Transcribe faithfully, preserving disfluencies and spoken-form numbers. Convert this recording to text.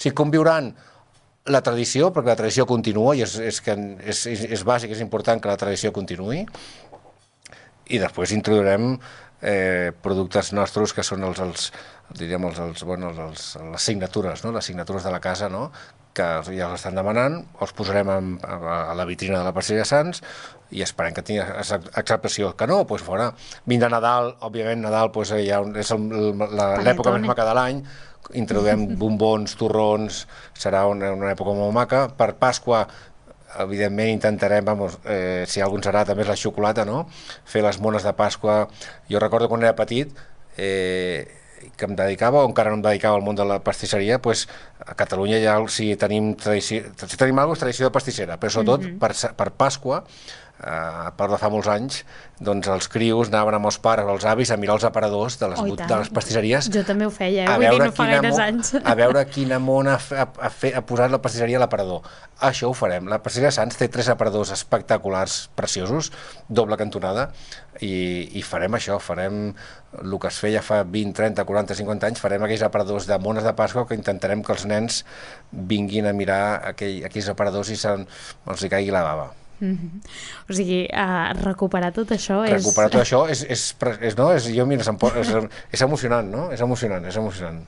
sigui, conviuran la tradició, perquè la tradició continua i és, és, que és, és, és bàsic, és important que la tradició continuï, i després introduirem eh, productes nostres que són els, els diríem, els, els, bueno, els, les signatures, no? Les signatures de la casa, no? Que ja els estan demanant, els posarem en, a la vitrina de la Pastisseria Sants i esperem que tingui acceptació. Que no, doncs fora. Vindrà Nadal, òbviament Nadal doncs, ja és l'època més maca de l'any, introduïm bombons, torrons, serà una, una època molt maca. Per Pasqua, evidentment intentarem, vamos, eh, si algú ens agrada també és la xocolata, no? Fer les mones de Pasqua. Jo recordo quan era petit, eh, que em dedicava, o encara no em dedicava al món de la pastisseria, doncs a Catalunya ja si tenim tradició, si tenim alguna cosa, tradició de pastissera, però sobretot mm -hmm. per, per Pasqua, eh, a part de fa molts anys, doncs els crios anaven amb els pares o els avis a mirar els aparadors de les, oh, de les pastisseries. Jo també ho feia, eh? Vull dir, no fa gaires anys. A veure quina mona ha, ha, ha, ha posat la pastisseria a l'aparador. Això ho farem. La pastisseria Sants té tres aparadors espectaculars, preciosos, doble cantonada, i, i farem això, farem el que es feia fa vint, trenta, quaranta, cinquanta anys, farem aquells aparadors de mones de Pasqua que intentarem que els nens vinguin a mirar aquell, aquells aparadors i se'n, els hi caigui la bava. Mm-hmm. O sigui, uh, recuperar tot això és... Recuperar tot això és, és, és, no? és, jo, mira, és, és emocionant, no? És emocionant, és emocionant.